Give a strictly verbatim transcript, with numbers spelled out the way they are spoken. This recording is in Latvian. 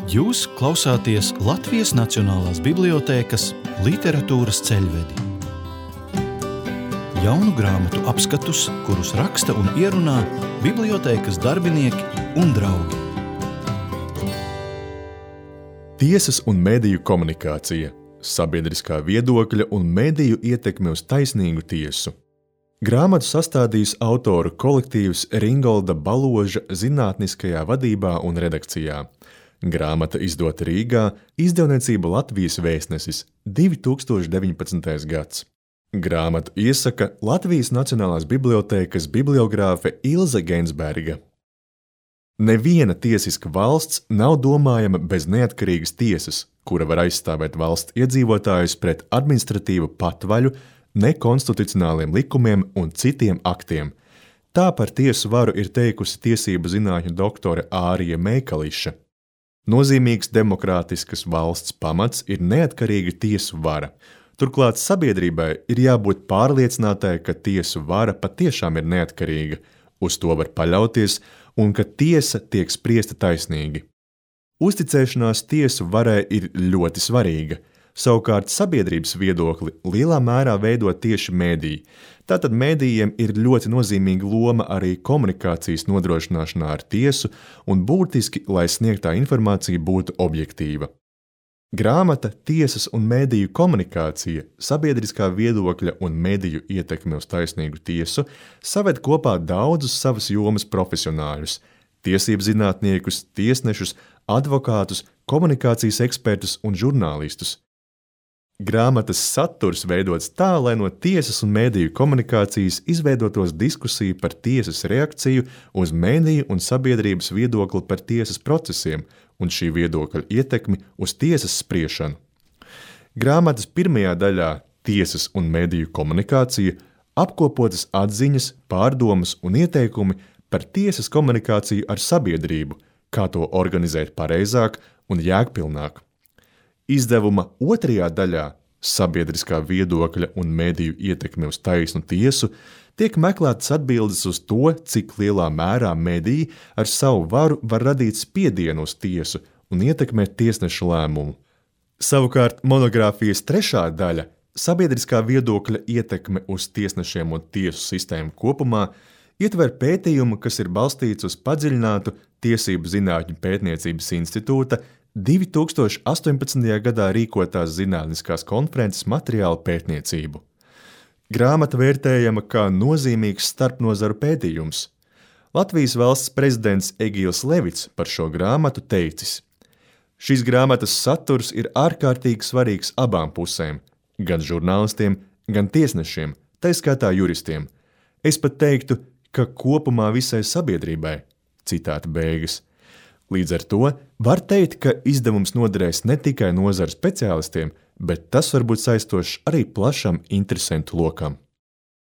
Jūs klausāties Latvijas Nacionālās bibliotēkas literatūras ceļvedi. Jaunu grāmatu apskatus, kurus raksta un ierunā bibliotēkas darbinieki un draugi. Tiesas un mediju komunikācija, sabiedriskā viedokļa un mediju ietekme uz taisnīgu tiesu. Grāmatu sastādījis autoru kolektīvs Ringolda Baloža zinātniskajā vadībā un redakcijā. Grāmata izdota Rīgā, izdevniecība Latvijas Vēstnesis, divi tūkstoši deviņpadsmitais gads. Grāmatu iesaka Latvijas Nacionālās bibliotēkas bibliogrāfe Ilze Gensberga. Neviena tiesiska valsts nav domājama bez neatkarīgas tiesas, kura var aizstāvēt valsts iedzīvotājus pret administratīvu patvaļu, nekonstitucionāliem likumiem un citiem aktiem. Tā par tiesu varu ir teikusi tiesību zinātņu doktore Ārija Meikališa. Nozīmīgs demokrātiskas valsts pamats ir neatkarīga tiesu vara. Turklāt sabiedrībai ir jābūt pārliecinātai, ka tiesu vara patiešām ir neatkarīga, uz to var paļauties un ka tiesa tiek spriesta taisnīgi. Uzticēšanās tiesu varai ir ļoti svarīga. Savukārt sabiedrības viedokli lielā mērā veido tieši mediji. Tātad medijiem ir ļoti nozīmīga loma arī komunikācijas nodrošināšanā ar tiesu un būtiski, lai sniegtā informācija būtu objektīva. Grāmata Tiesas un mediju komunikācija, sabiedriskā viedokļa un mediju ietekme uz taisnīgu tiesu saved kopā daudzus savas jomas profesionāļus – tiesību zinātniekus, tiesnešus, advokātus, komunikācijas ekspertus un žurnālistus. Grāmatas saturs veidots tā, lai no tiesas un mediju komunikācijas izveidotos diskusija par tiesas reakciju uz mediju un sabiedrības viedokli par tiesas procesiem un šī viedokļa ietekmi uz tiesas spriešanu. Grāmatas pirmajā daļā Tiesas un mediju komunikācija apkopotas atziņas, pārdomas un ieteikumi par tiesas komunikāciju ar sabiedrību, kā to organizēt pareizāk un jēgpilnāk. Izdevuma otrajā daļā sabiedriskā viedokļa un mediju ietekme uz taisnu tiesu tiek meklētas atbildes uz to, cik lielā mērā mediji ar savu varu var radīt spiedienu uz tiesu un ietekmēt tiesnešu lēmumu. Savukārt monogrāfijas trešā daļa sabiedriskā viedokļa ietekme uz tiesnešiem un tiesu sistēmu kopumā ietver pētījumu, kas ir balstīts uz padziļinātu Tiesību zinātņu pētniecības institūta divi tūkstoši astoņpadsmitajā gadā rīkotās zinātniskās konferences materiālu pētniecību. Grāmata vērtējama kā nozīmīgs starpnozaru pētījums. Latvijas valsts prezidents Egīls Levits par šo grāmatu teicis: Šīs grāmatas saturs ir ārkārtīgi svarīgs abām pusēm, gan žurnālistiem, gan tiesnešiem, tai skaitā juristiem. Es pat teiktu, ka kopumā visai sabiedrībai. Citāta beigas. Līdz ar to var teikt, ka izdevums noderēs ne tikai nozaru speciālistiem, bet tas var būt saistošs arī plašam interesentu lokam.